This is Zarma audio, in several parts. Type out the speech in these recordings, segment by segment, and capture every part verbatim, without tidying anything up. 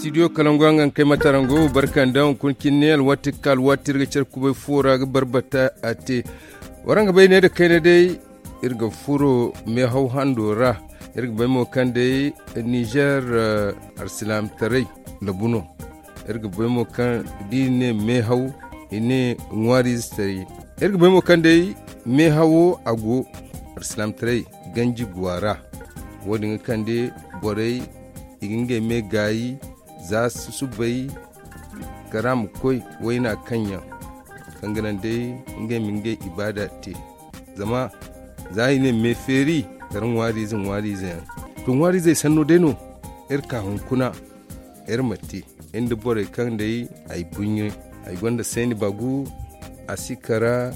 Studio kalangu a nga kay matarango barkanda hunkuna cine alwaati ga ka alwaati iri ga care kubay fuwo ra ga barbata a te. Waraŋ ga bay ne nda kayna day iri ga furo meehaw hando ra. Iri ga bay mo kaŋ day nizer arsilaamataray labu no. Iri ga bay mo kaŋ da i ne meehaw i ne ŋwaariize taray. Iri ga bay mo kaŋ day meehawo a go arsilaamataray ganji go a ra. Wo- din ga kande borey i ga ngey me gaayi za susubay kara ma koy wayna kaŋ yaŋ kaŋ ga naŋ day ngey ma ngey ibaada te. Zama za i ne me feeri kala ŋwaariize ŋwaariize yaŋ. To ŋwaariizey sanno day no iri ka hunkuna iri ma te iri nda borey kaŋ day ay buɲɲe ay gonda seeni bagu a si kara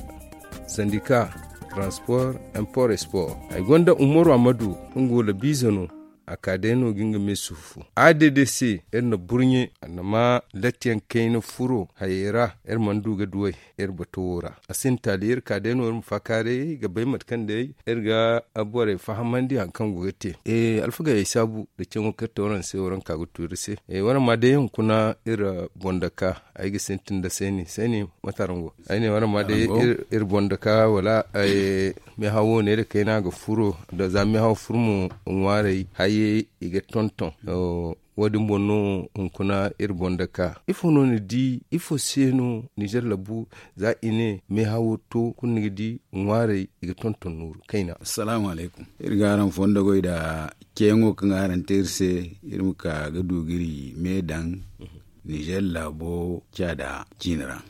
sandika transport import export ay gonda umaru amadu nga wala biize no. A ka day no ga nga me sufu a day day se iri na burɲe a na ma lattiyaŋ kayna furo hayey ra. Iri mana du ga duwey iri bato wo ra a sinda taali iri ka day no iri ma faakaaray ga bay mate kaŋ day iri ga borey fahamandi hari kaŋ go ga te. Alfagey ay saabu nda caŋo kaŋ iri te waraŋ se waraŋ ka ga tu iri se. Waraŋ ma day hunkuna iri boŋ dake ay ga sintin nda seeni seeni mate araŋ go? Ay ne waraŋ ma day iri boŋ dake wala meehawo neera kayna ga furo nda za meehawo furo mo ŋwaarey hayey i ga tonton. Wo- din boŋ no hunkuna iri boŋ dake ifo no ni di ifo se no nizer labu za i ne meehawo to kulu ni ga di ŋwaarey i ga tonton nooru kayna. Assalaamu alaykum. Iri ga araŋ fondo goy nda ceeyaŋo kaŋ araŋ te iri se iri ma ka ga du ga iri me daŋ nizer laabo caada ciine ra.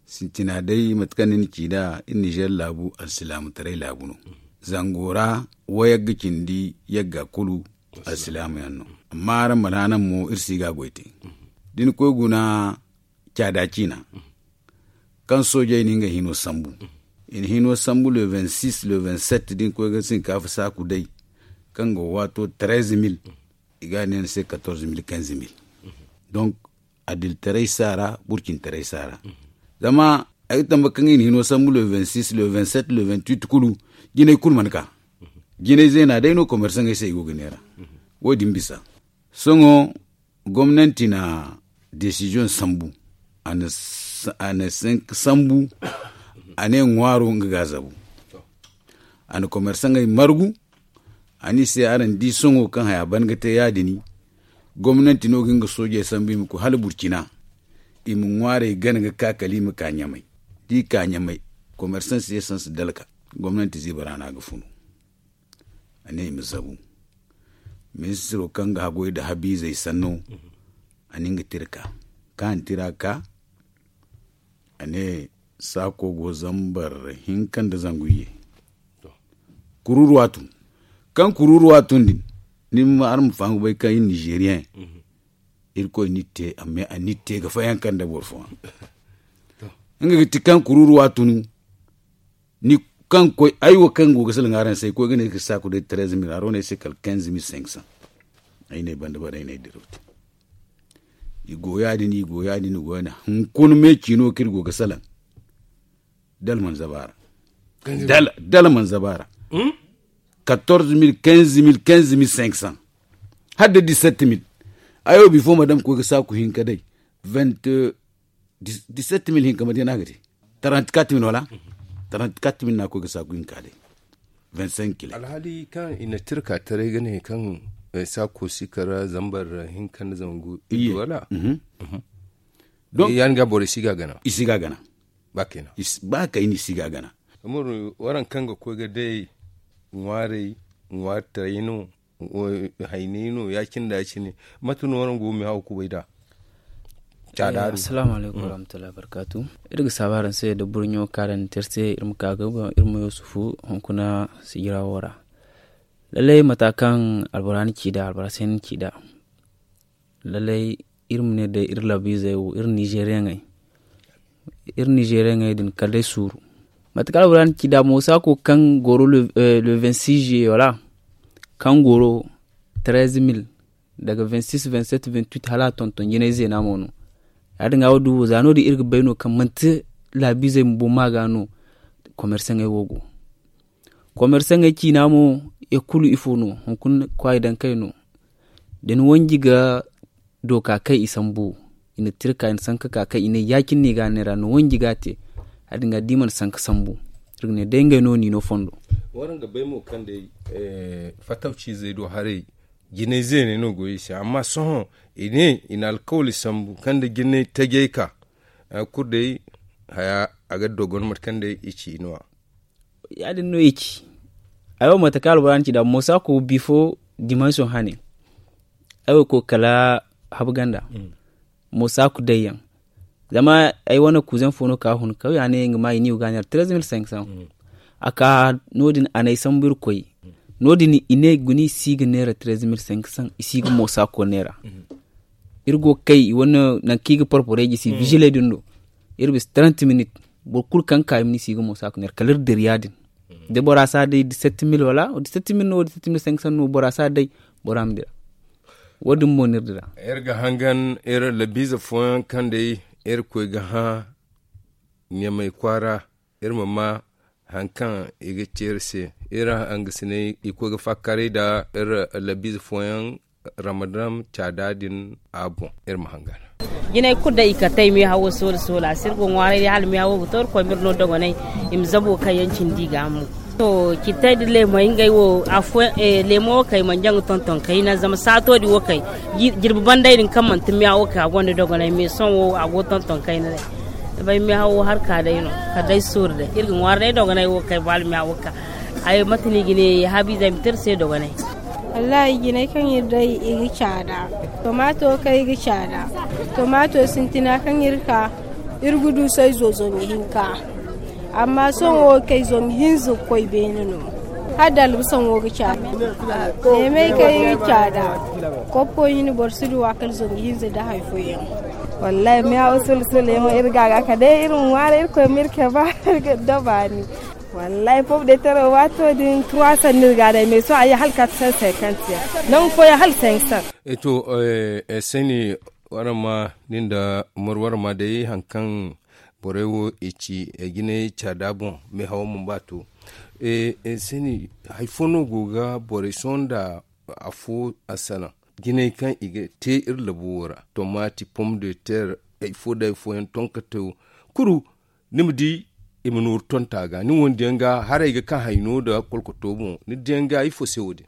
Sintina day mate kaŋ ni na ci nd'a iri nizer laabu alsilaamataray laabu no. Zango ra wayagga cindi yagga kulu alsilaama yaŋ no. Amma araŋ mana naŋ mo iri si ga a goy te. Da ni koy guna caada ciina kaŋ soojey na ngey hino sambu i na hino sambu le vingt six le vingt sept da ni koy ga sinkaafa saaku day kaŋ go ga waato treize mille i ga a ne ni se quatorze mille quinze mille. Donc adilitaray si a ra burcintaray si a ra. Zama ay ga tambe kaŋ i na hino sambu le vingt six le vingt sept le vingt huit kulu jinay kulu mana ka. Jinay zeena day no komersaŋey se i go ga neera. Wo- din bisa sohõ gomnanti na desiziyoŋ sambu a na cinq sambu a ne ŋwaaro nga ga a zabu. A na komersaŋey margu a ne i se araŋ di sohõ kaŋ haya ban ga te ya- din gomnanti no ga nga soojey sambu i ma koy hala burcina i ma ŋwaarey gana ga ka kala i ma ka ɲamay. Da i ka ɲamay komersaŋ se sanse dalka gomnanti ziiba ra no a ga funu. A ne i ma zabu ministiro kaŋ ga hagoy nda habiizey sanno. A na nga tira ka ka a na tira ka a ne saako go zambar hinka nda zangu iyye. Kururuwa tun kaŋ kururuwa tun din ni ma araŋ ma faham ga bay kaŋ iri nizeriyen irkoy n'iri te amma a n'iri te ga fayanka nda boro fooyaŋ. Nga ga ti kaŋ kururuwa tun ni kaŋ koy ay wo kaŋ go ga salaŋ araŋ se ay koy ga ne ay ga saaku day treize mille haro no ay se kala quinze mille cinq cents. Ay ne banda bare ay ne ay diraw te i go ya- din i go ya- din i go ya- din hunkuna me ciino kaŋ iri go ga salaŋ dala mana zaba a ra. Dala mana zaba a ra quatorze mille quinze mille quinze mille cinq cents hala da dix sept mille. Ay wo bifo madame koy ga saaku hinka day vingt dix sept mille hinka mate no a ga te trente quatre mille wala trente quatre mille no a koy ga saaku hinka day. Vingt cinq kilo alhaali kaŋ i na tirka taray ga ne kaŋ saako si kara zambar hinka nda zangu iddu wala? Donc ya- din ga borey si ga gana i si ga gana. Ba kayna i si ga gana. Umaru waraŋ kaŋ ga koy ga day ŋwaarey ŋwaari taray no hayney no ya- cine nda ya- cine mate no waraŋ go ga meehaw kubay nd'a? Caada din. Assalaamu alaykum warahmatullahi wabarkaatu. Iri ga saabu araŋ se nda burɲo kaŋ araŋ na te iri se iri ma ka ga iri ma yusufu hunkuna sijira wo ra. Lallay mata kaŋ albora na ci nd'a albora se na ci nd'a. Lallay iri ma ne day iri labiizey wo iri nizeriyaŋey iri nizeriyaŋey din kala day suuru. Mate kaŋ albora na ci nd'a mo saako kaŋ goro le vingt six juillet wala kaŋ goro treize mille daga vingt six vingt sept vingt huit hala a tonton jinay zeena mo no. Ya- din ga wo du za no- din iri ga bay no kaŋ manti laabiizey bumbo ma ga no. Komersaŋey wo go komersaŋey ciina mo ya kulu ifo no hunkuna kwaayi dankey no. Da ni wanji ga do ka kay i sambu. I na tira ka i na sanka ka kay i ne ya- cine no i ga a neera no wanji ga a te. Hari din ga da i mana sanka sambu, iri ga ne day ngey no no i no fondo. Waraŋ ga bay mo kaŋ day fatawciizey do haray jinay zeeney no go i se amma sohõ i ne i na alkawli sambu kaŋ da jinay tajey ka kulu day haya a ga dogon mate kaŋ day i ci i no a. Ya- din no i ci ay wo mate kaŋ albora na ci nd'a moosa ko bifo dimanso hane. Ay wo koy kala habu ganda moosa ku day yaŋ. Zama ay wane kuuzaŋ fo no ka hun kaw ya ne nga ma i ni ga ga a neera treze mil cinq cents. A ka no- din a na ay sambu iri koy no- din i ne guna i si ga neera treze mil cinq cents i si ga moosa ko neera. Iri go ga kay i wane nangu kaŋ i ga porporey gisi biziley din do. Iri bisa trente minit boro kulu kaŋ ga ka i ma ni si ga moosa ko neera kala iri dira ya- din. Da bora si a day dix-sept mil wala dix-sept mil no dix-sept mil cinq cents no bora si a day. Bora ma dira. Wo- din mo no iri dira. Iri ga hangan iri labiize fooyaŋ kaŋ day iri koy ga hã ɲamay kwaara. Iri ma ma hari kaŋ i ga ci iri se. Iri hangasiney i koy ga fakkaray nda iri labiize fooyaŋ ramadan caada din a boŋ. Iri ma hangan. Jinay kulu day i kate ay meehawo soola soola a si iri go ŋwaaray day hala meehawo ga to iri koy ma iri no dogonay. I ma zabo kaŋ yaŋ cindi i ga a mo. To citay nda leemay ngey wo afooyaŋ leemo wo kay mana jaŋ ga tonton kayna zama saato din wo kay. Jirbi banday din kaŋ manti meehawo kay a gonda dogonay mais sohõ wo a go tonton kayna day. Bay meehawo hari ka day no kala day sooru day iri ga ŋwaari day dogonay wo kay ba hala meehawo ka. Ay mate no i ga ne haabiizey ma te iri se dogonay. Wallahi jinay kaŋ iri day i ga caada. Tomaato kaŋ i ga caada tomaato sintina kaŋ iri ka iri ga du sayzo zangu hinka. Amma sohõ wo kay zangu hinza ga koy beene no. Hala da albasaŋ wo ga caada. Neemey kaŋ i ga caada. Koppo i na boro si du a kala zangu hinza nda hari fooyaŋ. Wallahi meehawo sula sula yaŋo iri ga a ga kala day iri ma ŋwaaray iri koy ma iri keba. Iri ga dabaani. Wallahi pomp de terre waato din trois cents no iri ga a day mais sohõ a ye hala quatre cents cinquante yaŋ. Nangu fooyaŋ hala cinq cents. To sani waraŋ ma nin nda umaru waraŋ ma day hari kaŋ borey wo i ci jinay caada boŋ meehawo mana ba to. Sani hari fo no go ga borey sohõ nda afo a salaŋ jinay kaŋ i ga te iri labo wo ra tomaati pomp de terre hari fo nda hari fooyaŋ tonkate wo kulu. Ni ma di i ma nooru tonta ga ni wondiyaŋ ga haray ga ka hayno nda kolkoto boŋ ni diyaŋ ga ifo se wo- din.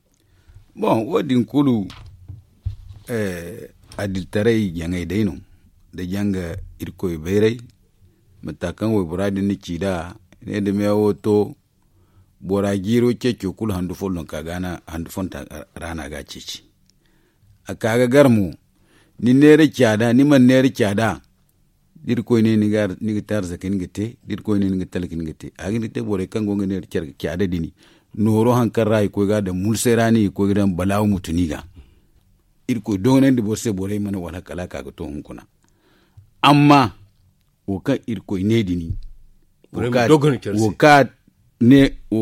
Boŋ wo- din kulu adilitaray jaŋay day no da janga irkoy bayray. Mata kaŋ waybora din na ci nd'a ne da meewo to bora jiiro ceeco kulu handu folloŋ ka ga handu fonta ra no a ga a ceeci. A ka ga gar mo ni neera caada ni mana neera caada. Da irkoy ne ni ga te arzaka ni ga te da irkoy ne ni ga talka ni ga te a ga hin ga te borey kaŋ go ga neera caada din nooro hari kaŋ ra i koy ga a daŋ mulsay ra no i ga koy ga daŋ balaawu mutu no i ga. Irkoy doonandi boro se borey mana wala kala a ka ga to hunkuna. Amma wo kaŋ irkoy ne din wo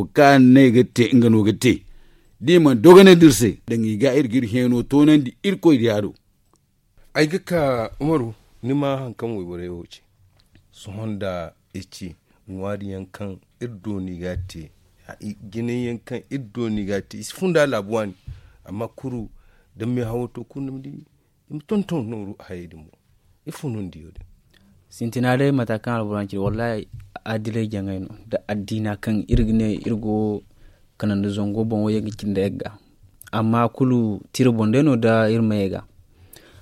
kaŋ a ne ga te nga no ga te da i mana dogonandi iri se daŋ i ga iri ga iri heeno toonandi irkoy diya do. Ay ga ka umaru ni ma hari kaŋ wayborey wo ce sohõ nda i ci ŋwaari yaŋ kaŋ iri dooni ga te jinay yaŋ kaŋ iri dooni ga te i si funda laabu waani. Amma kuru da meehawo to kulu ni ma di i ma tonton nooru hayey din boŋ. Ifo no ni di wo- din? Sintina day mata kaŋ alboro yaŋ ci wallahi adilay jaŋay no nda addiina kaŋ iri ga ne iri go kanandi zango boŋ wo yaŋ ga cindi yagga. Amma kulu tira boŋ day no nda iri ma yagga.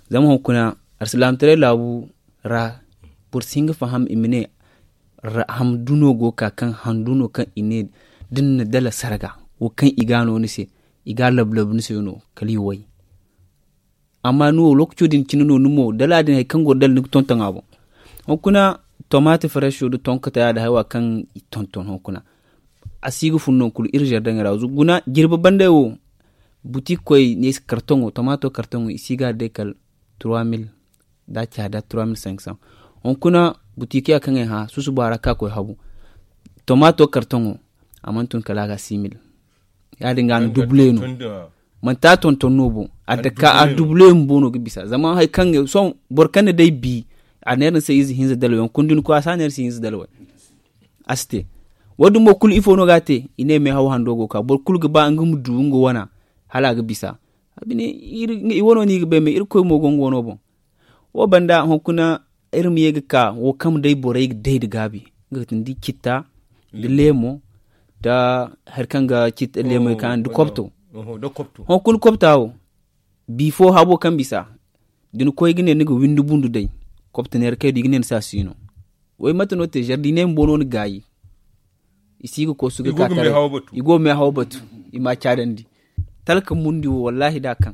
Zama hunkuna alsilaamataray laabu ra boro si hin ga faham i ma ne handu no go ga ka kaŋ handu no kaŋ i ne da ni na dala sarga wo kaŋ i ga a no ni se i ga a labu labu ni se no kala i way. Amma ni wo lookaco din cine no ni mo dala din hari kaŋ go ga dala ni ga tonton a boŋ. Hunkuna tomaati fareso nda tonkata ya- din haywa kaŋ i tonton hunkuna a si ga fun nangu kulu iri zardaŋey ra guna jirbi banday wo. Butik koy ne kartoŋo tomaato kartoŋo i si ga a day kala trois mille da a caada trois mille cinq cents. Hunkuna butikiya kaŋ ay hã susuba ra ka koy habu tomaato kartoŋo a mana tun kala a ga six mille. Ya- din ga a na dubule no manti a tonton no boŋ a dake a dubule bumbo no ga bisa zama hari kaŋ sohõ boro kaŋ na day bi a neera ni se ize hinza dalway hunkuna da ni koy a si a neera se hinza dalway. A si te wo- din mo kulu ifo no ga a te i ne meehaw hando go ga ka boro kulu ga ba nga ma du nga wana hala a ga bisa. I wane no i ga bay me irkoy mo go nga wano boŋ. Wo banda hunkuna iri ma ye ga ka wo kaŋ day borey ga day nda gaabi, nga ga ti ni di citta, nda leemo, nda hari kaŋ ga citta leemo ka nda kopto. Hunkuna kopta wo bifo habo kaŋ bisa da ni koy ga ne ni ga windi bundu day, kopta neera kay do i ga ne ni se a si no. Way mate no te zar da i ne ma bono ni gaayi. I si ga koy su ga ka taray. I go ga meehaw batu. I ma a caadandi. Talka mundi wo wallahi da a kaŋ.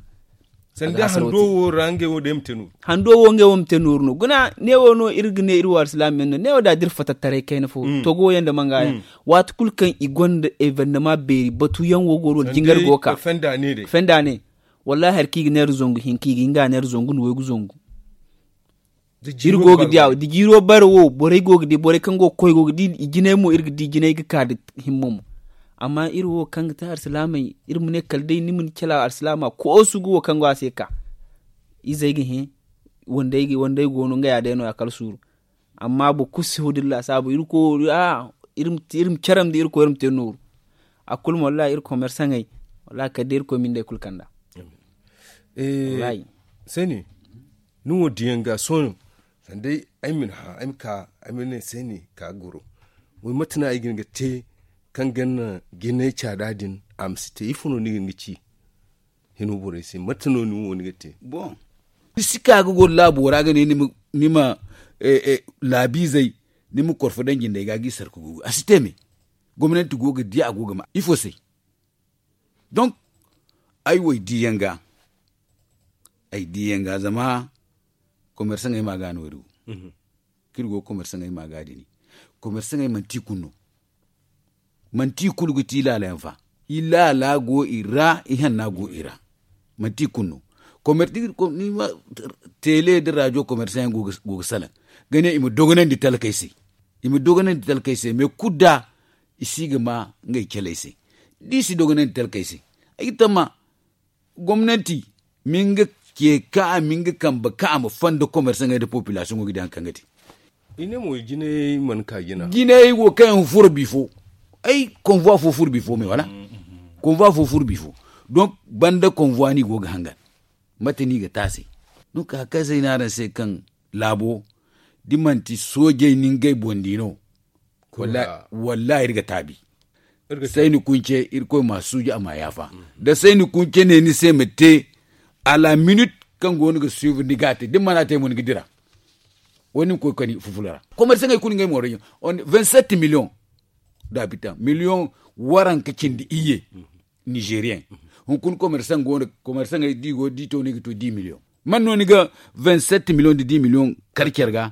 Sanda hando wo ra ngey wo day ma te nooru. Hando wo ngey wo ma te nooru no guna ne wo no iri ga ne iri wo alsilaama yaŋ no ne wo da da iri fatattaray kayna fo togo yaŋ nda manga yaŋ. Waati kulu kaŋ i gonda evennama beeri batu yaŋ wo go no wala jingar go ka fenda ne. Wallahi hari kaŋ i ga neera zangu hinka i ga hinga neera zangu nda waygu zangu. Iri go ga di a da jiiro bare wo borey go ga di borey kaŋ go ga koy go ga di i jinay mo iri ga di jinay ga ka nda himma mo. Amma iri wo kaŋ ga te alsilaamey iri ma ne kala day ni ma ni cala alsilaama koosu ga wo kaŋ go a se ka izey ga hẽ. Wandey go no nga ya day no- ya kala suuru. Amma boro kulu si hudilla saabu iri ma care ma di iri koy iri ma te nooru. A kulu ma wallahi iri komersaŋey wallahi kala day iri koy ma ni day kulu kanda. Sani ni wo diyaŋ ga sohõ sanda ay ma ni hã ay ma ka ay ma ne sani ka goro. Way mate no ay ga hin ga te kaŋ ga naŋ jinay caada din a ma si te ifo no ni ga hin ga ci? Hino borey se mate no ni wo ni ga te? Ni si ka ga goro laabo ra ga ne ni ma laabiizey ni ma korfo daŋ jindey ga ga i sarka gugu a si te me. Gomnanti go ga di a go ga ma ifo se? Donk ay wo ay di yaŋ ga ay di yaŋ ga zama komersaŋey ma ga no iri wo kaŋ iri go ga komersaŋey ma ga dini. Komersaŋey manti i kulu no manti i kulu ga ti i laala yaŋ fa. I laala go i ra i hanna go i ra. Manti i kulu no komersaŋey teele nda rajo komersaŋey go ga salaŋ ga ne i ma dogonandi talkey se. I ma dogonandi talkey se mais kulu da i si ga ma ngey caley se. Da i si dogonandi talkey se ay ga tamma gomnanti ma nga ce kaŋ a ma nga kambe kaŋ a ma fanda komersaŋey nda popilasiyoŋo ga di hari kaŋ ga te. Jinay wo kaŋ yaŋ furo bifo ay konvuwa fo furo bifo me wala konvuwa fo furo bifo. Donk banda konvuwa no i go ga hangan mate no i ga te a se? Donk hari kaŋ se ay ne araŋ se kaŋ laabo da manti soojey no ngey boŋ di no. Wallahi iri ga taabi. Sayni kunce irkoy ma suuji a ma yaafa. Da sayni kunce ne ni se ma te a la minit kaŋ go no ga suivre ni ga a te da ni mana te mo ni ga dira. Wala ni ma koy kani fufula ra komersaŋey kulu ngey mooro yaŋ. Vingt sept million da habitan million waranka cindi iyye. Nigerian hunkuna komersaŋ go no komersaŋey da i go da i to no i ga to dix million. Man no ni ga vingt sept million da dix million kar care ga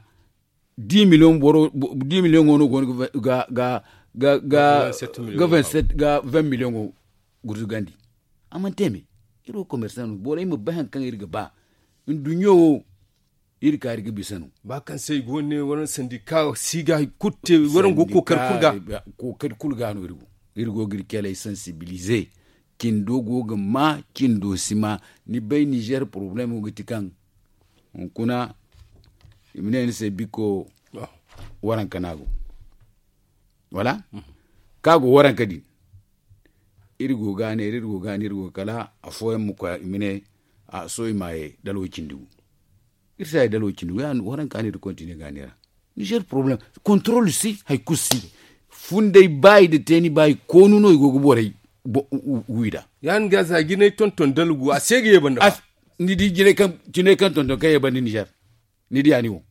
dix million boro dix million go no go no ga ga ga ga vingt sept ga vingt million go gurzugandi. A mana te me iri wo komersaŋ no borey ma bay hari kaŋ iri ga ba nduɲɲo wo. Iri kaari ga bisa no. Ba kaŋ se i go ne waraŋ sandika si ga hari kulu te waraŋ go kookari kulu ga. Kookari kulu ga no iri go iri go ga iri caley sansibilize. Cindo go ga ma cindo si ma. Ni bay nizer porobalemo ga ti kaŋ hunkuna i ma ne ni se biko waranka no a go wala kaŋ a go waranka din. Iri go ga a neera iri go ga a neera iri go ga kala afooyaŋ ma koy i ma ne a sohõ i ma ye dala wo cindi gu. Iri si a ye dala wo cindi gu ya no waranka no iri kontine ga a neera. Nizer porobalem kontorol si hari kulu si. Funday ba i da te ni ba i koonu no i go ga borey wi nd'a. Ya no ga za jinay tonton dala gu a se ga ye banda ba. Ni di jinay kaŋ tonton kaŋ ye banda nizer. Ni diya ni wo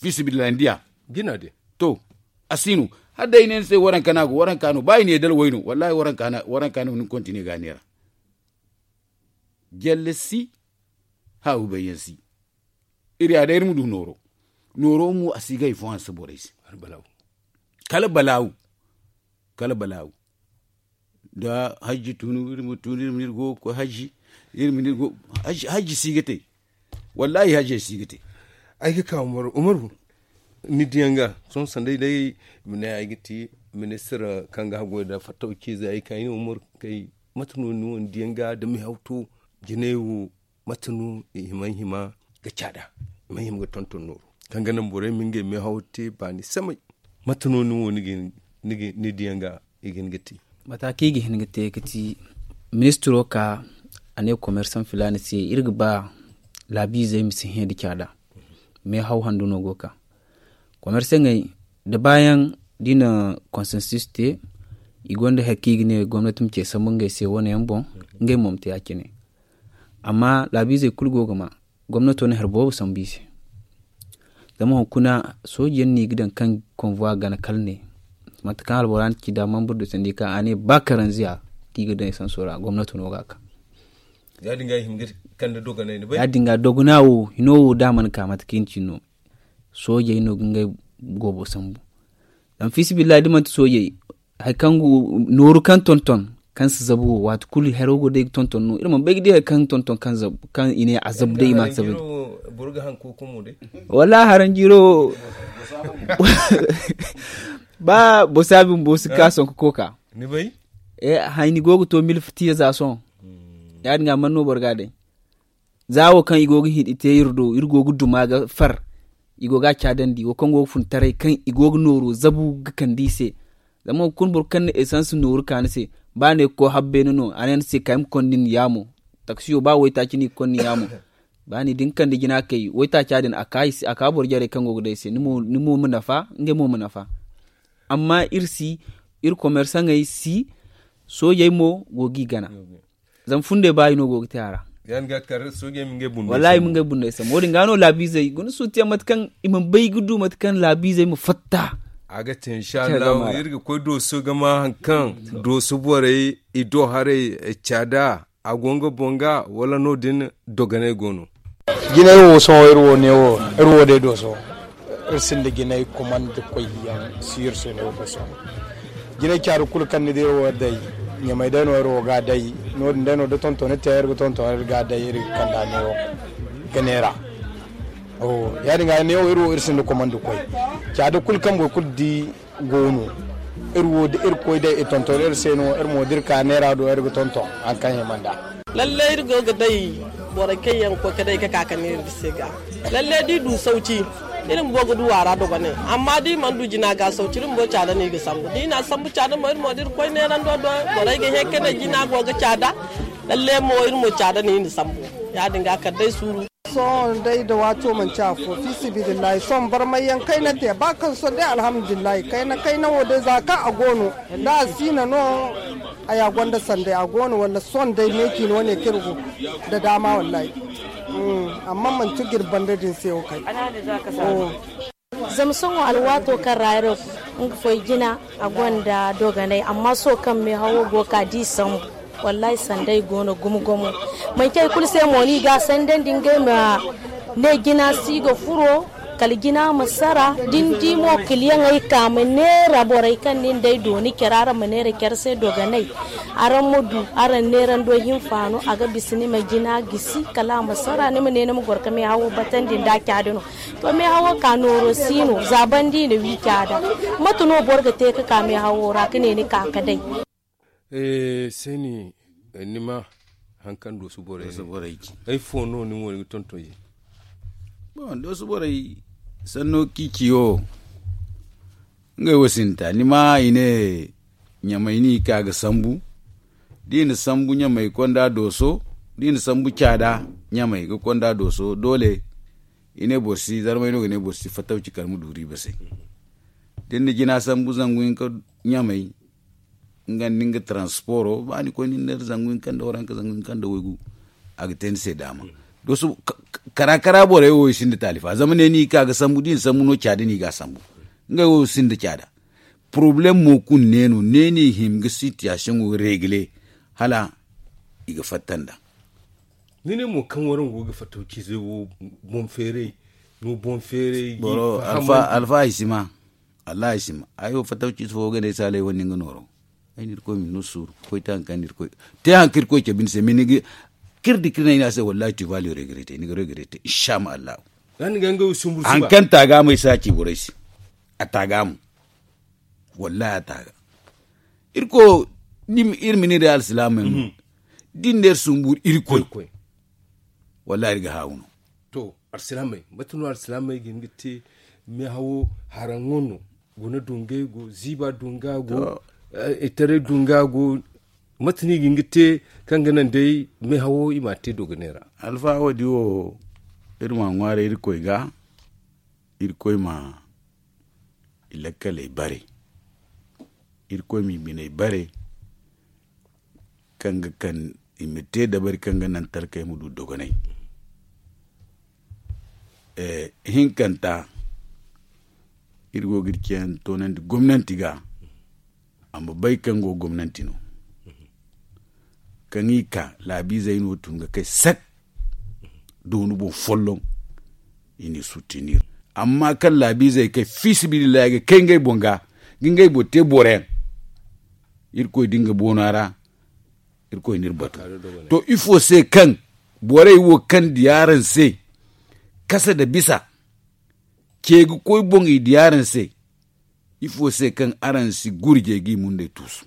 fiisabilillahi ni diya. Jina din to a si no. Hala day i ne ni se waranka no a go waranka no ba i ne dala way no wallahi waranka no ni ga kontine ga a neera. Jalle si haawi bayyaŋ si. Iri ya day iri ma du nooro. Nooro mo a si ga hari fo hanse borey se. Kala balaawu kala balaawu. Da hajji tunu iri ma tunu iri ma ne iri go ga koy hajji. Iri ma ne iri go hajji si ga te. Wallahi hajjey si ga te. Ay ga ka umaru umaru ni diyaŋ ga sohõ sanday day i ma ne ay ga ti ministir kaŋ ga haggoy nda fattaw ciizey ay ga ka ay ne umaru kay mate no ni wo ni diyaŋ ga da meehaw to jinay wo mate no i hima hima ga caada i ma hima ga tonton nooru kaŋ ga naŋ borey ma ngey meehaw te baani samay. Mate no ni wo ni diyaŋ ga i ga hin ga te? Mate kaŋ i ga hin ga te ga ti ministiro ka a ne komersaŋ filaana se iri ga ba laabiizey ma si hẽ nda caada. Meehaw handu no go ga ka komersaŋey da baayaŋ da i na konsensus te. I gonda hari kaŋ i ga ne gomnati ma ce sambu ngey se wane yaŋ boŋ. Ngey mo ma te ya- cine. Amma laabiizey kulu go ga ma gomnato na hari boobo sambu i se. Zama hunkuna sooji yaŋ no i ga daŋ kaŋ konvuwa gana kala ne mate kaŋ albora na ci da mambur du sandi kaŋ a ne ba karanziya kaŋ i ga daŋ esanso ra gomnato no ga a ka. Ya- din ga dogana wo hino wo da a mana ka mate kaŋ i na ci no. Soojey no ga ngey goobo sambu. Zama fiisabilillahi da manti soojey hari kaŋ nooru kaŋ tonton kaŋ si zabu wo waati kulu haro go day ga tonton no iri mana bay ga di hari kaŋ tonton kaŋ i ne a zabu day i ma a zabu. Wallaahi haranjiiro wo ba bosa bumbo si ka sohõ ga koka. Hayni go ga to milfitiya za sohõ. Ya- din ga man no boro ga a day. Za wo kaŋ i go ga hin i te iri do iri go ga duma ga far. I go ga a caadandi wo kaŋ go ga fun taray kaŋ i go ga nooro zabu ga kande i se. Zama hunkuna boro kaŋ na esans nooru ka ni se ba ne ga koy habbeene no a ne ni se kay ma konda ni yaamo. Taksiyo ba waytaaci no i ga konda ni yaamo. Ba ni da ni kande jina kay waytaaca din a ka boro jarey kaŋ go ga day se ni mo ma nafa ngey mo ma nafa. Amma iri si iri komersaŋey si soojey mo go ga i gana. Zama fundey ba i no go ga te a ra. Wallaahi i ma ngey bundey sambu wo- din ga no laabiizey guna suutiyaŋ mate kaŋ i mana bay ga du mate kaŋ laabiizey ma fatta. A ga te inshallahu iri ga koy dooso ga ma hari kaŋ dooso borey i do haray caada a go nga boŋ ga wala no- din dogonay go no. Jinay wo sohõ iri wo ne wo iri wo day dooso. Iri sinda jinay kumandi koy yaŋ si iri se no iri ga sohõ. Jinay caari kulu kaŋ ni di iri wo day ɲamay day no iri wo ga a day. No- din day no da tonton ni te iri ga tonton iri ga a day iri ga kande a ne wo ga neera. Ya- din ga ne wo iri wo iri sinda kumandi koy caada kulu kaŋ boro kulu di go no. Iri wo da iri koy day i tonton iri se no iri mo da iri ka neera do iri ga tonton hari kaŋ hima nd'a. Lalle iri go ga day borey kaŋ yaŋ ga koy ga day ga ka ga neera iri se ga. Lalle da i du sawci iri bumbo ga du a ra dogonay. Amma da i mana du jina ga sawci iri bumbo caada no i ga sambu da i na sambu caada mo iri mo da iri koy neerando do borey ga hẽ ga ne jina go ga caada. Lalle mo iri mo caada no i na sambu. Ya- din ga kala day suuru. Sohõ day da waato manci afo fiisabilillahi sohõ barmay yaŋ kayna te ba kaŋ sohõ day alhamdulillahi kayna kayna wo day za kaŋ a go no da a siina no. Haya gonda sanday a go no walla sohõ day meeci no wane kaŋ iri go da daama wallahi. Amma manti ga iri banda din se wo kay. Zama sohõ alwaato kaŋ ra iri ga foy jina a gonda dogonay amma sohõ kaŋ meehawo go ga ka da i sambu. Wallaahi sanday go no gumo gumo. Manci hari kulu se mo no i ga a sandandi ngey ma ne jina si ga furo kala jina ma sara da ni di mo kiliyaŋey ka ma neera borey kaŋ nin day do ni care araŋ ma neera care se dogonay. Araŋ ma du araŋ neerando hinfaano a ga bisa ni ma jina gisi kala a ma sara ni ma ne ni ma goro ga meehawo batandi nda a caadi no. To meehawo ka nooro si no za banda i na wi caada. Mate no boro ga te ga ka meehawo ra ga ne ni ka ga day? Sayni, ni ma hari kaŋ dooso borey ci ay fo no ni mo ni ga tonton ye? Bon dooso borey sanno kaŋ i ci wo ngey wo sinda ta ni ma i ne ɲamay no i ka ga sambu. Da i na sambu ɲamay ga konda dooso da i na sambu caada ɲamay ga konda dooso doole. I ne boro si zarmay no ga ne boro si fatawci kala ma du riiba se. Da ni na jina sambu zangu hinka ɲamay nga nda nga transporo ba ni koy ni na neera zangu hinka nda waranka zangu hinka nda waygu. A ga te ni se daama. Kara kara borey wo i sinda taalifa zama ne no i ka ga sambu da i na sambu no caada no i ga a sambu. Ngey wo i sinda caada. Poroblem mo kulu ne no ne no i hima ga sitiyasiyoŋo regle hala i ga fatta nd'a. Ni ne mo kaŋ waraŋ go ga fattaw ciizey wo boŋ feeray no boŋ feeray. Boro alfa ay si ma. Wallahi ay si ma ay wo fattaw ciize fo ga ne ay saalay wane nga nooro. Ay na irkoy ma ni no suuru ga koy te hari kaŋ ni irkoy te hari kaŋ irkoy cabe ni se ma ni ga kir da kir no ay ne a se wallahi tu vas le regretter ni ga regretter insha ma allahu. Hari kaŋ ta ga mo ay si a ci borey se. A ta ga mo. Wallahi a ta ga. Irkoy iri ma ne day alsilaamey mo da iri ne iri sumbu irkoy. Wallahi iri ga haawu no. To alsilaamey mate no alsilaamey ga hin ga te? Meehawo haraŋo no. Guna dungay go ziiba dunga go. Itaray dunga go. Mate no i ga hin ga te kaŋ ga naŋ day meehawo i m'a te dogonay ra? Alfa, wo- din wo iri m'a ŋwaaray irkoy ga. Irkoy ma i lakkaley bare. Irkoy m'i biney bare kaŋ ga kaŋ i ma te dabari kaŋ ga naŋ talkey ma du dogonay. Hinkanta iri go ga iri ceeyaŋ toonandi gomnanti ga. A ma bay kaŋ go gomnanti no kaŋ i ka laabiizey no tun ga kay sak doonu boŋ folloŋ. I n'i suttinir amma kaŋ laabiizey kay fiisabilillahi ga kay ngey boŋ ga ga ngey boŋ te boroyaŋ. Irkoy da nga boona ra irkoy n'iri batu. To ifo se kaŋ borey wo kaŋ diya araŋ se kasa nda bisa ce ga koy boŋ i diya araŋ se. Ifo se kaŋ araŋ si gurjey g'i mundey tuusu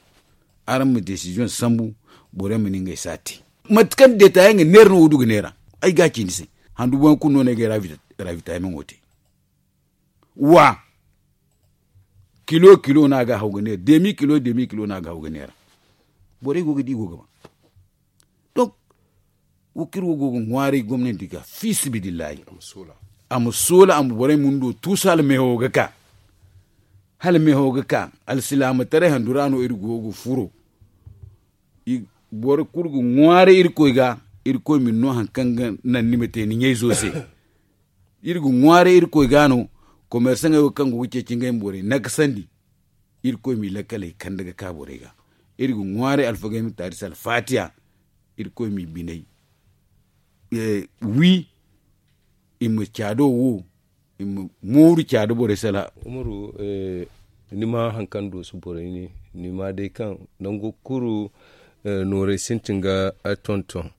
araŋ ma desiziyoŋ sambu. Borey ma ne ngey si a te mate kaŋ deeta yaŋ ga neera no wo du ga neera. Ay ga a ci ni se handu boŋ yaŋ kulu no no ay ga ay raabita yaŋ meŋo te. Wa kilo kilo no a ga haw ga neera demi kilo demi kilo no a ga haw ga neera. Borey go ga di i go ga ba donk wo kaŋ iri wo go ga ŋwaaray gomnanti ga fiisabilillahi a ma soola a ma borey mundo tuusu hala meehawo ga ka. Hala meehawo ga ka alsilaamataray handu ra no iri go ga furo. Boro kulu ga ŋwaaray irkoy ga. Irkoy ma ni no hari kaŋ ga naŋ ni ma te ni ɲayzo se. Iri ga ŋwaaray irkoy ga no komersaŋey wo kaŋ go ga ceeci ngey ma borey nakasandi. Irkoy m'i lakkaley kande ga ka borey ga. Iri ga ŋwaaray alfagey ma taari se alfaatiya. Irkoy m'i biney wi i ma caado wo i ma mooru caado borey sala. Umaru, ni ma hari kaŋ doosu borey ne ni ma day kaŋ nango kulu noorey sintin ga tonton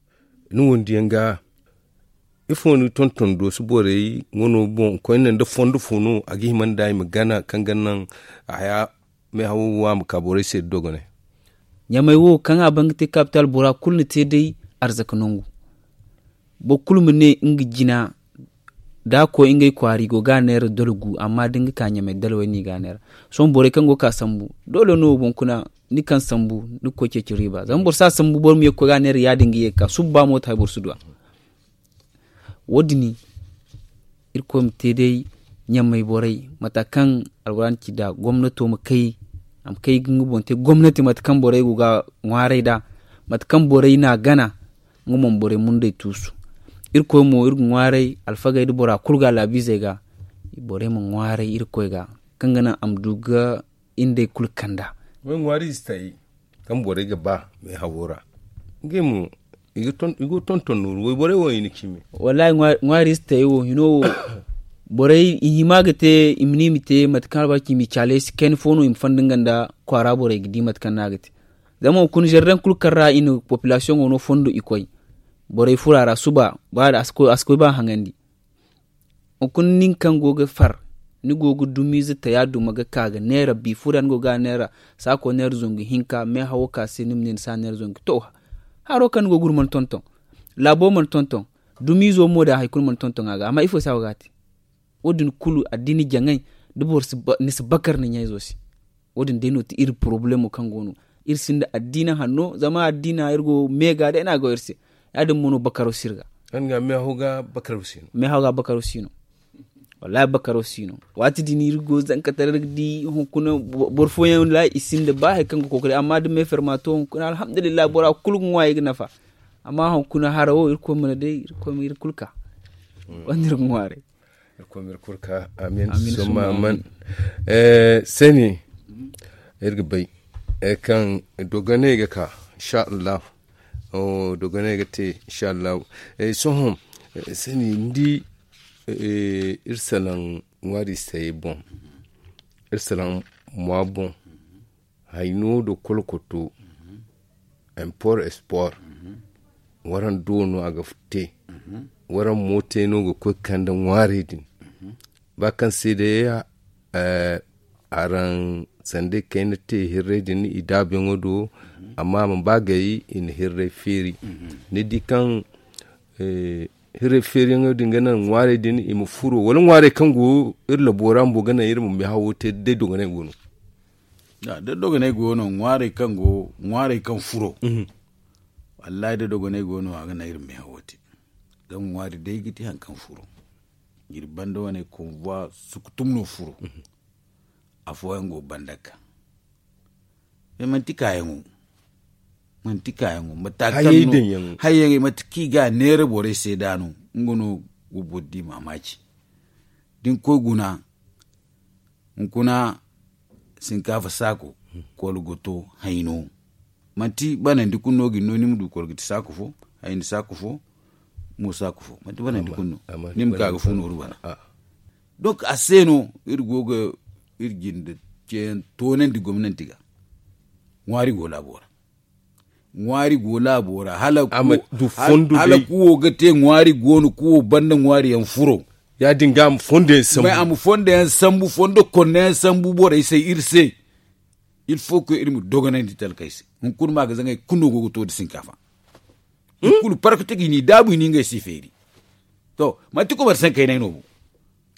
ni wondiyaŋ ga. Ifo ni tonton doosu borey wano boŋ koyne nda fondo fo no a ga hima nda i ma gana kaŋ ga naŋ haya meehawo wo a ma ka borey se da dogonay. Ɲamey wo kaŋ a ban ga te kapital bora kulu na te day arzaka nangu. Boro kulu ma ne nga jina da a koy ngey kwaara i go ga a neera dala gu amma da ni ga ka ɲamey dala way no i ga a neera. Sohõ borey kaŋ go ga ka sambu doole no wo boŋ kuna ni kaŋ sambu ni ga koy ceeci riiba zama boro si a sambu boro ma ye ga koy ga a neera ya- din ga ye ga ka suba ba mooto hay boro si du a. Wo- din irkoy ma te day ɲamey borey mate kaŋ alwaraana ci nd'a gomnato ma kay a ma kay ga nga boŋ te gomnati mate kaŋ borey go ga ŋwaaray nd'a mate kaŋ borey n'a gana. Nga boŋ borey mundey tuusu irkoy mo iri ga ŋwaaray alfagey nda bora kulu ga laabiizey ga. Borey ma ŋwaaray irkoy ga kaŋ ga naŋ a ma du ga iri nd'ey kulu kand'a. Way ŋwaari ize taayey kaŋ borey ga ba meehawo ra ngey mo i go ga tonton nooru wayborey wo i na cimi. Wallaahi ŋwaari ize taayey wo hino wo borey i hima ga te i ma ne i ma te mate kaŋ albarka i m'i caale ay se kayna fo no i ma fonda nga nda kwaara borey ga di mate kaŋ no a ga te. Zama hunkuna zardaŋ kulu kaŋ ra i na popilasiyoŋo no fondo i koy borey furo a ra suba ba da a si koy ba haŋandi. Hunkuna nin kaŋ go ga far ni go ga dumiize taya duma ga ka ga neera bi furo ra ni go ga a neera saako neera zangu hinka meehawo ka se ni ma ne ni si a neera zangu to haro kaŋ ni go ga guru mana tonton. Laabo mana tonton dumiizo mo da hari kulu mana tonton a ga amma ifo se a go ga a te. Wo- din kulu addiina jaŋay da boro ni si bakar ni ɲayzo se. Wo- din day no ti iri porobalemo kaŋ go no iri sinda addiina hanno zama addiina iri go meega day no a go iri se. Ya- din mo no bakaro si iri ga. Meehaw ga bakaro si no. Meehaw ga bakaro si no. Wallahi bakaro si no. Waati din iri go zanka tara iri ga di hunkuna boro fooyaŋ wallahi i sinda ba hari kaŋ ga kookari amma da meeferma to hunkuna alhamdulillahi bora kulu ga ŋwa i ga nafa. Amma hunkuna hara wo irkoy mana day irkoy ma iri kulu ka. Wanda iri ga ŋwaaray. Irkoy ma iri kulu ka amin. Summa amin. Sani iri ga bay kaŋ dogonay ga ka insha allahu. Dogonay ga te insha allahu. Sohõ sani ni di iri salaŋ ŋwaari sayey boŋ iri salaŋ mwa boŋ. Hayno nda kolkoto import export waraŋ do no a ga te. Waraŋ mo te no ga koy ga kande ŋwaarey din ba kaŋ se day araŋ sanda i kayna te hirrey din i daabuyaŋo do. Amma a mana ba gay i na hirrey feeri ni di kaŋ hirrey feeriyaŋo din ga naŋ ŋwaarey din i ma furo wala ŋwaarey kaŋ go iri labo ra bumbo ga naŋ iri ma meehawo te da day dogonay go no. Da dogonay go no ŋwaarey kaŋ go ŋwaarey kaŋ furo. Wallahi da dogonay go no a ga naŋ iri ma meehawo te. Zama ŋwaari day ga ti hari kaŋ furo. Iri banda wane konvoi sukutum no furo. Afooyaŋ go banda ga ka. Manti kaayaŋo manti kaayaŋo mate kaŋ no hayyaŋey mate kaŋ i ga a neera borey se da no. Nga no ga boro di maamaaci da ni koy guna. Hunkuna sinkaafa saako kolgoto hayno. Manti banandi kulu no ga ni no ni ma du kolgati saako fo hayni saako fo. Mo saako fo manti banandi kulu no ni ma ka ga fo nooru bana. Donk a se no iri go ga iri jinde ceeyaŋ toonandi gomnanti ga. Ŋwaari go laabo ra. Ŋwaari go laabo ra hala kuwo ga te ŋwaari go no kuwo banda ŋwaari yaŋ furo. Ya- din ga a ma fondo yaŋ sambu fondo konda yaŋ sambu borey se iri se. Il faut que iri ma dogonandi talkey se. Hunkuna ma ga zaŋay kulu no go ga to nda sinkaafa. I kulu parkate ga i n'i daabu i n'i ngey se i feeri. To manti komersankey no ay no bo.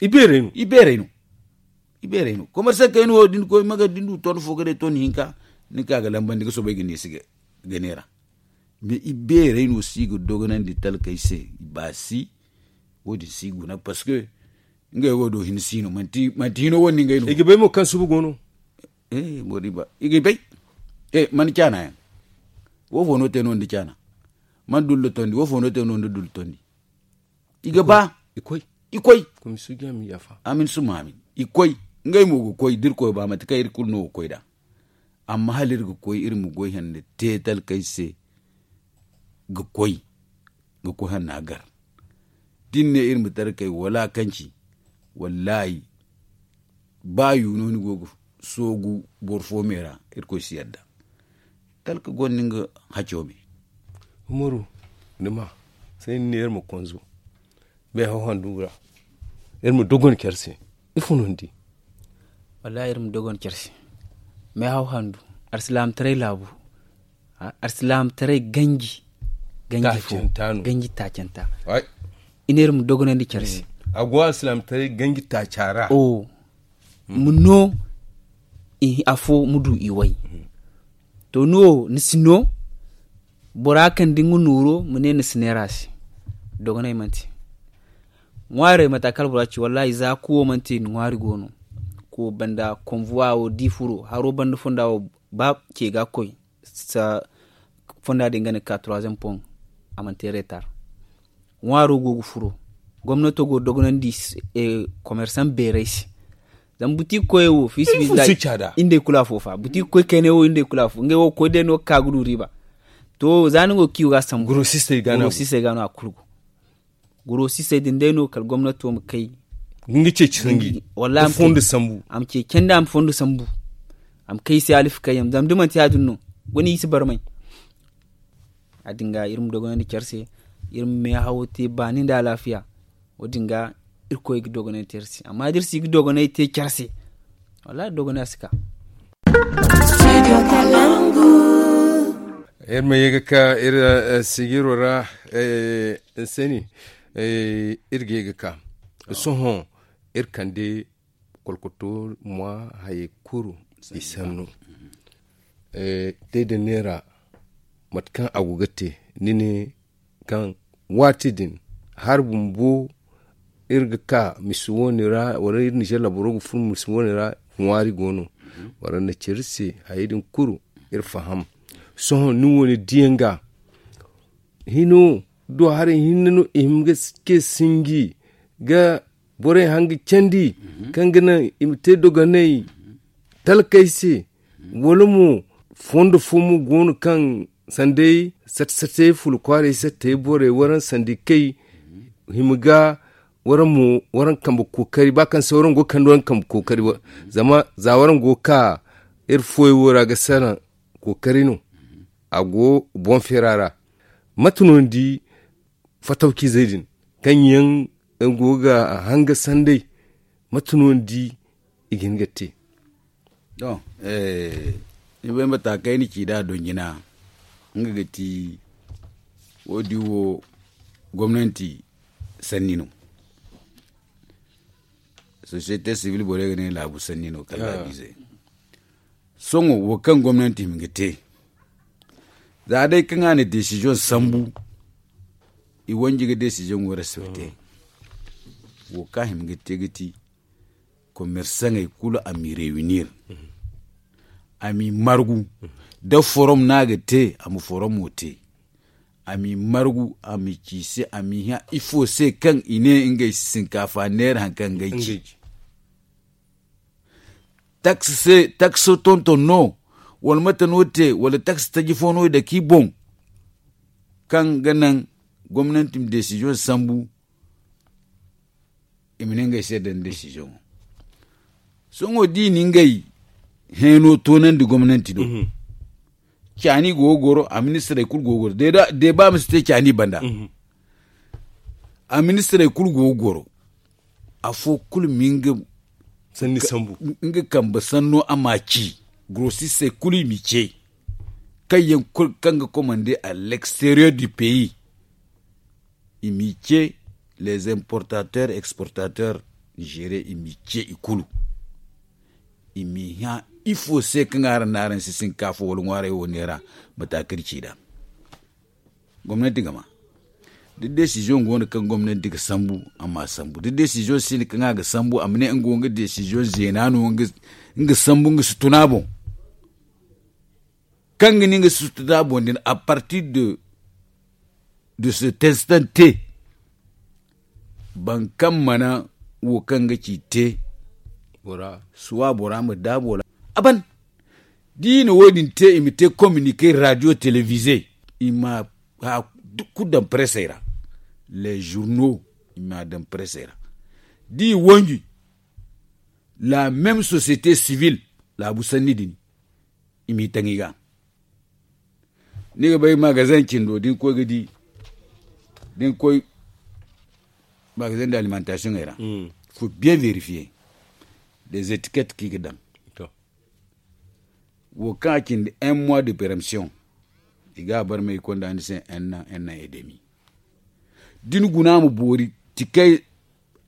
I beerey no. I beerey no komersankey no wo da ni koy maga da ni du ton fo ga day ton hinka. Ni ka ga lambandi ga soobay ga neesi ga neera. Mais i beerey no si ga dogonandi talkey se. I baasi wo- din si guna parce que ngey wo do hin si no manti hino wane no ngey no. I ga bay mo kaŋ suba go no. Boro di ba i ga bay. Mana caana yaŋ wo fo no te no nda caana. Mana dullo tondi wo fo no te no nda dullo tondi. I ga ba i koy i koy. Amin suma amin i koy. Ngey mo ga koy da iri koy ba mate kaŋ iri kulu no ga koy nd'a. Amma hala iri ga koy iri ma goy hande te talkey se. Ga koy ga koy hanna gar. Da ni ne iri ma talkey wala kanci. Wallahi ba yu no ni go ga soogu boro fo me ra. Irkoy si yadda talka gonda nga haco me. Umaru ni ma sai ni ne iri ma konzo. Meehaw handu ra iri ma dogon care se. Ifo no ni di? Wallahi iri ma dogon care se. Meehaw handu arsilaamataray laabu. Arsilaamataray ganji ganji fo ganji taacanta. I ne iri ma dogonandi care se. A go arsilaamataray ganji taaca ra. Ma no afo ma du i way. To ni wo ni si no bora kaŋ da nga nooro ma ne ni si neera se. Dogonay manti ŋwaarey mata kala bora ci wallahi za kuwo manti ni ŋwaari go no. Kuwo banda konvuwa wo da i furo haro banda fonda wo ba ce ga koy. Fonda din ga ne ka troisième pont a mana te retar. Ŋwaaro go ga furo gomnato go dogonandi komersaŋ beeray se. Zama buti ga koy wo fiisabilillahi. Iri nd'ey kulu afo fa buti ga koy kayne wo iri nd'ey kulu afo ngey wo ga koy day no ga ka ga du riiba. To za ni go ga kiyo ga sambu gurosisey ga no a kulu go. Gurosisey din day no kala gomnato ma kay. Ga nga ceeci sanji wallahi a ma ceeci a ma fondo sambu. A ma kay se alifakayyaŋ zama da manti ya- din no guna i si barmay. Ya- din ga iri ma dogonandi care se. Iri ma meehawo te baani nda alaafiya. Wo- din ga irkoy ga dogonay te iri se amma da iri si ga dogonay te care se. Wallahi dogonay a si ka. Iri ma ye ga ka iri sigiro ra. Nsani iri ga ye ga ka sohõ iri kande kolkoto mwa hayey kulu i sanno. Day da neera mate kaŋ a go ga te ni ne kaŋ waati din hari bumbo iri ga ka misi wane ra wala iri nizer laboro ga furo misi wane ra. Ŋwaari go no wala na care se hayey din kulu iri faham. Sohõ ni wane diyaŋ ga hino do haray hinne no i hima ga ce sinji ga borey hanga candi kaŋ ga naŋ i ma te dogonay talkey se. Wala mo fondo fo mo go no kaŋ sanday sate sate fula kwaaray sattey borey waraŋ sandi kay hima ga waraŋ mo waraŋ kambe kookari ba kaŋ se waraŋ go ga kande waraŋ kambe kookari. Zama za waraŋ go ga ka iri fooyaŋ wo ra ga salaŋ kookari no a go boŋ feera ra. Mate no ni di fatawciizey din kaŋ yaŋ go ga hanga sanday? Mate no ni di i ga hin ga te? Ni bay mata kaŋ ay na ci nd'a donjina nga ga ti wo- din wo gomnanti sanni no. Sosiyete sibil borey ga ne laabu sanni no kala laabiizey. Sohõ wo kaŋ gomnanti hima ga te, za day kaŋ a na desiziyoŋ sambu, i wanji ga desiziyoŋo respecte. Wo kaŋ a hima ga te ga ti, komersaŋey kulu a m'i rewinir, a m'i margu. Da forom no a ga te, a ma foromo te. A m'i margu, a m'i ci i se, a m'i hã ifo se kaŋ i ne ngey sinkaafa neera hari kaŋ ngey ci. Taksi tonton no, wala mate no te, wala taksi taji fo no i dake i boŋ, kaŋ ga naŋ gomnanti ma desiziyoŋ sambu, i ma ne ngey se daŋ desiziyoŋo. Sohõ da i na ngey heeno toonandi gomnanti do. Caani go ga goro, a ministirey kulu go ga goro. Deeba ma si te caani banda. A ministirey kulu go ga goro. Afo kulu ma nga kambe sanno a ma ci. Grosisey kulu i m'i ce. Kaŋ yaŋ kulu kaŋ ga komande à l'extérieur du pays, i m'i ce. Les importateurs exportateurs nigérien i m'i ce i kulu. I m'i hã ifo se kaŋ araŋ na araŋ si sinkaafa wala ŋwaaray wo neera. Mata kaŋ iri ci nd'a. Gomnanti ga ma da desiziyoŋ go no kaŋ gomnanti ga sambu, a ma a sambu da desiziyoŋ si no kaŋ a ga sambu a ma ne nga wo nga desiziyoŋ zeena no. Nga sambu nga si tun a boŋ. Kaŋ ga ne nga si tun a boŋ din à partir de se testante. Boro kaŋ mana wo kaŋ ga ci te, suwa bora ma daabo ra a ban. Da i na wo- din te i ma te communique radio televize, i ma haya kulu daŋ presey ra. Les journaux i ma a daŋ presey ra. Da i wanji la même société civile, laabu sanni din i m'i taŋ i ga. Ni ga bay magazin cindo da ni koy ga di da ni koy magazin d'alimentation ey ra. Faut bien vérifier des étiquettes kaŋ i ga daŋ. Wo kaŋ a cindi un mois de peremption, i ga a barmay i konda ni se un an un an et demi. Da ni guna ma boori tikey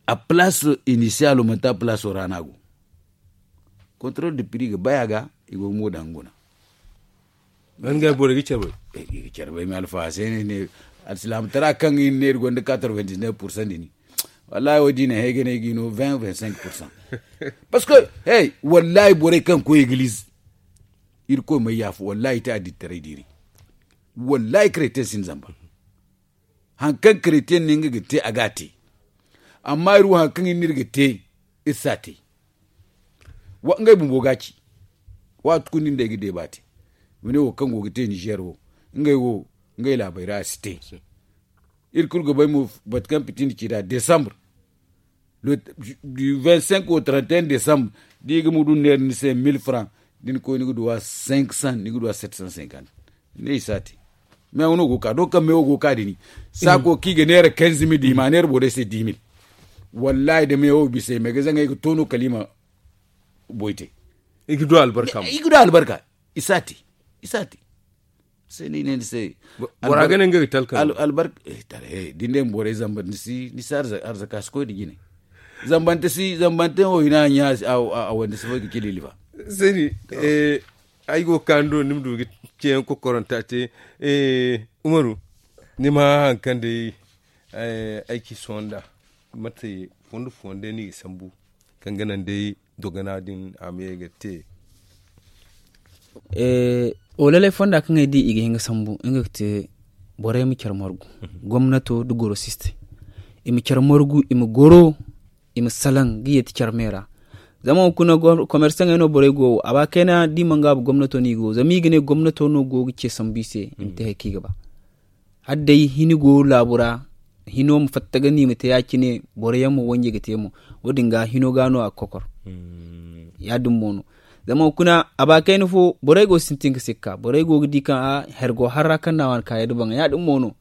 a place initialo manti a place ra no a go. Contrôle de prix ga bay a ga. I go ga mo daŋ guna. Ban ga borey ga care bay. I ga care bay me alfaha se ne ne alsilaama tara kaŋ i ne iri gonda quatre-vingt-dix-neuf pour cent din. Wallahi wo- din hay ga ne ga i no vingt vingt-cinq pour cent. Parce que hey, wallahi borey kaŋ koy eglize, iri koy may yaafa wallahi i te addittaray diiri. Wallahi chrétien sin zamba. Hari kaŋ chrétien ne nga ga te a ga a te. Amma iri wo hari kaŋ iri ga te, iri si a te. Ngey bumbo ga a ci. Waati kulu nin da ay ga deeba te. Mine wo kaŋ go ga te nizer wo, ngey wo ngey laabey ra a si te. Iri kulu ga bay mo batu kaŋ piti ni ci nd'a desambre du vingt cinq au trente et un desambre. Da i ga mudu neera ni se mil franc, da ni koy ni ga duwa cinq cent ni ga duwa sept cent cinquante. Ne i si a te. Meewo no go ga ka do kaŋ meewo go ga ka da ni saako kaŋ i ga neera quinze mil da i ma a neera borey se dix mil. Wallahi da meewo bisa i ma ay ga zaŋ ay ga to no kala i ma boy te. I ga du albarka mo. I ga du albarka. I si a te. I si a te. Se no i ne ni se bora ga ne nga ga talka albarka. Da ni ne ma borey zamba ni si arzaka si koy da jine. Zambante si zambante wo i na a ɲa a wande si fo ga cili lifa. Seni. Ay go ga kaanu do ni ma du ga ceeyaŋ kokoranta te. Umaru, ni ma hã hari kaŋ day ay ci sohõ nd'a. Mate fondo fondo day no i ga sambu kaŋ ga naŋ day dogana din a ma ye ga te? Walalay fonda kaŋ ay di i ga hin ga sambu nga ga te borey ma care margu. Gomnato nda gorosistey i ma care margu i ma goro, i ma salaŋ ga yeeti care me ra. Zama hunkuna komersaŋey no borey go wo a ba kayna da i mana gaabu gomnato no i go zama i ga ne gomnato no go ga ce sambu i se i ma te hari kaŋ i ga ba. Hala day hini go laabu ra, hino ma fatta ga no i ma te ya- cine boro yaŋ ma wanje ga te mo. Wo- din ga hino ga no a ga kokor. Ya- din mo no. Zama hunkuna a ba kayna fo borey go ga sintin ga sikka borey go ga di kaŋ a hari go har ra kaŋ no a waani ka yadda baŋ ya- din mo no.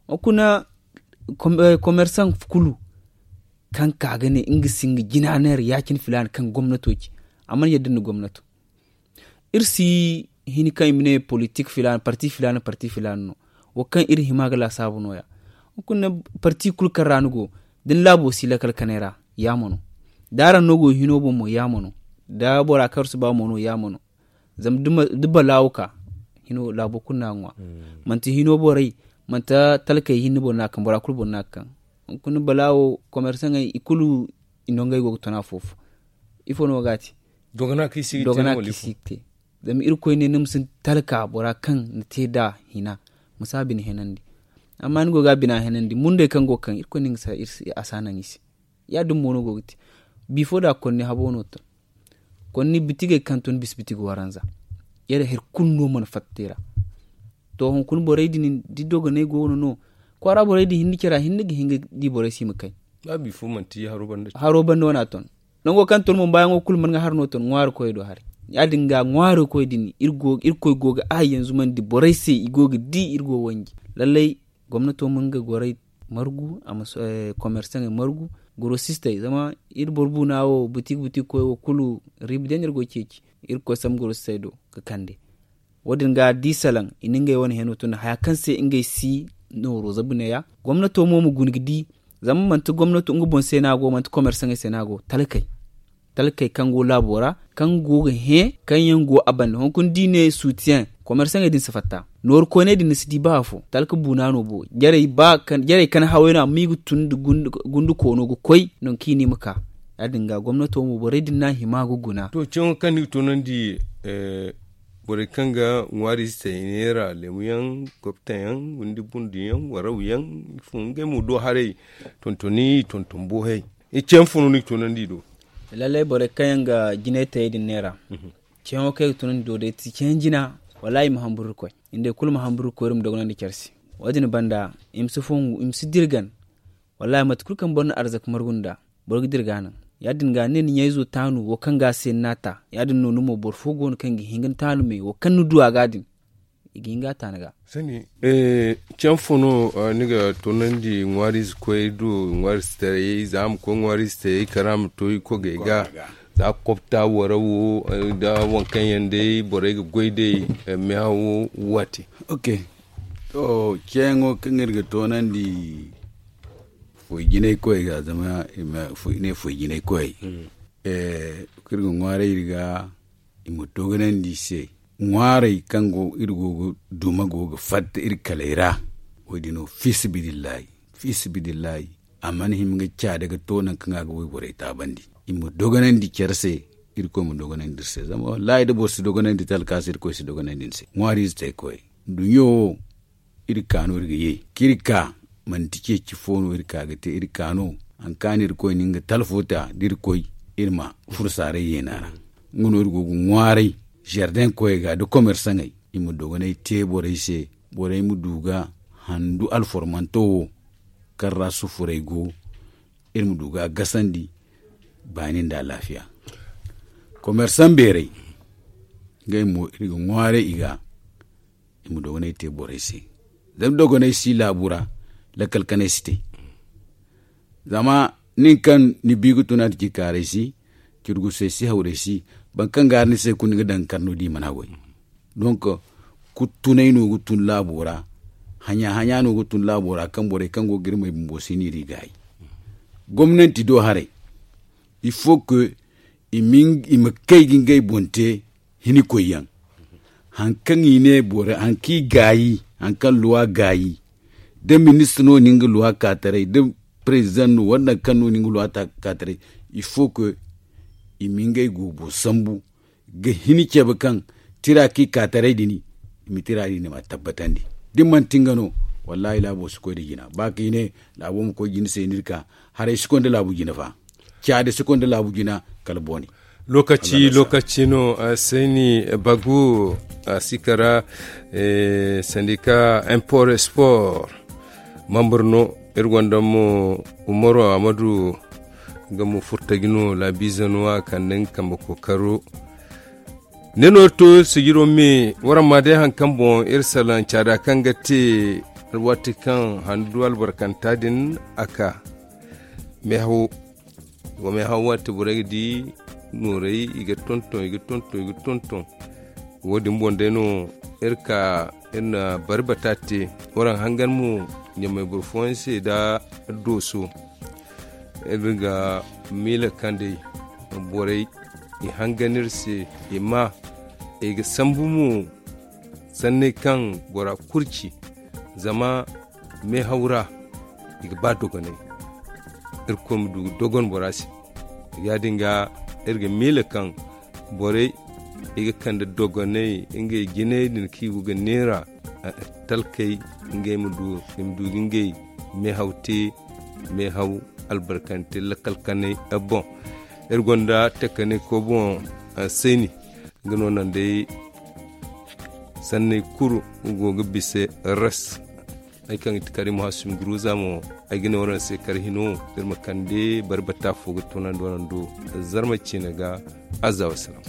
Hunkuna komersaŋ kulu kaŋ ka ga ne nga si nga jina neera ya- cine filaana kaŋ gomnato ci a mana yadda nda gomnato. Iri si hin kaŋ i ma ne politik filaana parti filaana parti filaana no. Wo kaŋ iri hima ga laasaabu no- ya. Hunkuna parti kulu kaŋ ra ni go da ni laabo si lakkal kanay ra, yaama no. Da araŋ no go hino boŋ mo yaama no. Da bora kaŋ araŋ si ba mo no yaama no. Zama da balaawo ka hino laabo kulu no a ga ŋwa. Manti hino borey, manti talkey hinne boro no a ga kaŋ, bora kulu boro no a ga kaŋ. Hunkuna balaawo komersaŋey i kulu i nongey go ga ton afo-fo. Ifo no ga a te? Dogana kaŋ i si ga te. Zama irkoy ne ni ma sinda talka bora kaŋ ni te nd'a hina, ma si a bine henandi. Amma ni go ga a bina henandi mundey kaŋ go ga kaŋ irkoy ne nga si a naŋ i se. Ya- din mo no go ga te. Bifo da konni habo no ton. Konni bitigey kaŋ ton bisa bitigi waranza. Yadda hari kulu no mana fatta te ra. To hunkuna borey din da dogoney go no no, kwaara borey din hinne care ra hinne ga hin ga di borey se i ma kay. Haro banda wana ton. Nango kaŋ ton mo baayaŋo kulu mana ga har no ton ŋwaari koyey do haray. Ya- din ga ŋwaari koy din irkoy go ga a yanzu mana di borey se i go ga di iri go wanji. Lallay gomnato ma nga gorey margu a ma komersaŋey margu, gorosistey zama iri boro buuna wo butik butik koy wo kulu riiba day no iri go ga ceeci. Iri ga koy sambu gorosistey do ga kande. Wo- din ga da i salaŋ i na ngey wane heno tun haya kaŋ se ngey si nooro zabu neeya. Gomnato mo ma guna ga di. Zama manti gomnato nga boŋ se no a go manti komersaŋey se no a go. Talkey kaŋ go laabo ra kaŋ go ga hẽ kaŋ yaŋ go a banda hunkuna da i ne sutiyaŋ. Komersaŋey din si fatta nooru koyney din ni si di ba afo talka buuna no bo. Jarey kaŋ haway no amma i ga tun nda gundu koono ga koy nangu kaŋ i ne i ma ka. Ya- din ga gomnato mo borey din no a hima ga guna. To cawyaŋo kaŋ ni ga toonandi borey kaŋ ga ŋwaari ize te i neera leemu yaŋ, kopta yaŋ, windi bundu yaŋ, waraw yaŋ, ifo ngey mo do haray. Tontoni i tonton boohay. Cawyaŋ fo no ni ga toonandi i do? Lallay borey kaŋ yaŋ ga jinay tayey din neera. Cawyaŋo kaŋ ay ga toonandi i do day ti cawyaŋ jina. Wallaahi i ma hamburu ga koy. Nda i kulu ma hamburu ga koy iri ma dogonandi care se. Wo- din banda i ma si dirgan. Wallaahi mate kulu kaŋ boro na arzaka margu nd'a boro ga dira ga a naŋ. Ya- din ga ni ne ni ɲayzo taanu wo kaŋ ga a se ni n'a ta. Ya- din no ni mo boro fo go no kaŋ ga hin ga ni taanu me wo kaŋ ni du a ga din. I ga hin ga a ta ni ga. Cawyaŋ fo no ni ga toonandi ŋwaariize koyey do? Ŋwaariize taray za a ma koy ŋwaariize taray kala a ma to i kogey ga. Za kopta wara wo nda waŋ kaŋ yaŋ day borey ga goy day. Meehawo waati. Ok. To cawyaŋo kaŋ iri ga toonandi foy jinay koyey ga zama i ne foy jinay koyey. Kaŋ iri ga ŋwaaray iri ga i ma dogonandi i se. Ŋwaarey kaŋ go iri go ga duma go ga fatta iri kaley ra. Wo- din no fiisabilillahi fiisabilillahi a mana hima ga caada ga to nangu kaŋ a ga wayborey taabandi. I ma dogonandi care se. Irkoy ma dogonandi iri se zama wallaahi da boro si dogonandi talka se irkoy si dogonandi ni se ŋwaariize te koy. Duɲɲo wo iri ka no iri ga ye kaŋ iri ka manti ceeci fo no iri ka ga te iri ka no. Hari kaŋ a na iri koy na nga talfo ta da iri koy iri ma furo saaray yeena ra. Nga no iri go ga ŋwaaray zardeŋ koyey ga nda komersaŋey i ma dogonay te borey se. Borey ma du ga handu alformanto wo kaŋ ra sufuray go iri ma du ga a gasandi baani nda alaafiya. Komersaŋ beerey ngey mo iri ga ŋwaaray i ga i ma dogonay te borey se. Zama dogonay si laabu ra lakkal kanay si te. Zama nin kaŋ ni bi ga tun a da ci kaaray si curgusey si hawray si boro kaŋ ga hari ni se kulu ni ga daŋ ga kar no da i mana goy. Donk kuttunay no ga tun laabo ra. Haɲa haɲa no ga tun laabo ra kaŋ borey kaŋ go ga iri may bumbo si no iri gaayi. Gomnanti do haray il faut que i ma kay ga ngey boŋ te. Hinikoy yaŋ hari kaŋ i ne boro hari kaŋ i gaayi hari kaŋ luwa gaayi da ministre no na nga luwa ka taray da president no wala nangu kaŋ no na nga luwa ka taray il faut que i ma ngey goobo sambu ga hini cabe kaŋ tira kaŋ i ka taray din i ma tira din i ma a tabbatandi. Da ni manti nga no wallaahi laabo si koy nda jina ba kaŋ i ne laabo ma koy jina se ni iri ka haray si koy nda laabu jina fa. Caadi si koy nda laabu jina kala boone. Lokaci lokaci no sayni bagu a si kara sandika import sport. Mambur no iri gonda mo umaru amadu nga mo furtaji no laabiize no a kande nga kambe kookaro. Ne no to sijiro me waraŋ ma day hari kaŋ boŋ iri salaŋ caada kaŋ ga te alwaati kaŋ handu albarkanta din a ka. Meehawo wa meehawo waati borey ga di noorey i ga tonton i ga tonton i ga tonton. Wo- din boŋ day no iri ka iri na bari bata te waraŋ hangan mo ɲamey boro fooyaŋ se nda dooso. Iri ga miila kaŋ day borey i hangan iri se i ma I ga sambu mo sanney kaŋ bora kulu ci. Zama meehaw ra i ga ba dogonay. Irkoy ma du ga dogon bora se. Ya-din ga iri ga miila kaŋ borey i ga kande dogonay ngey jinay din kaŋ i go ga neera talkey ngey ma du i ma du ga ngey meehaw te meehaw albarkante lakkal kanay boŋ. Iri gonda takanay koy boŋ sayni nga no naŋ day sanney kulu nga go ga bisa ras. Ay kaŋ ga ti kari muhassim guruza mo ay ga ne waraŋ se kar hino iri ma kande bari bata fo ga tunandi waraŋ do zarma ciine ga. Azza wassalam.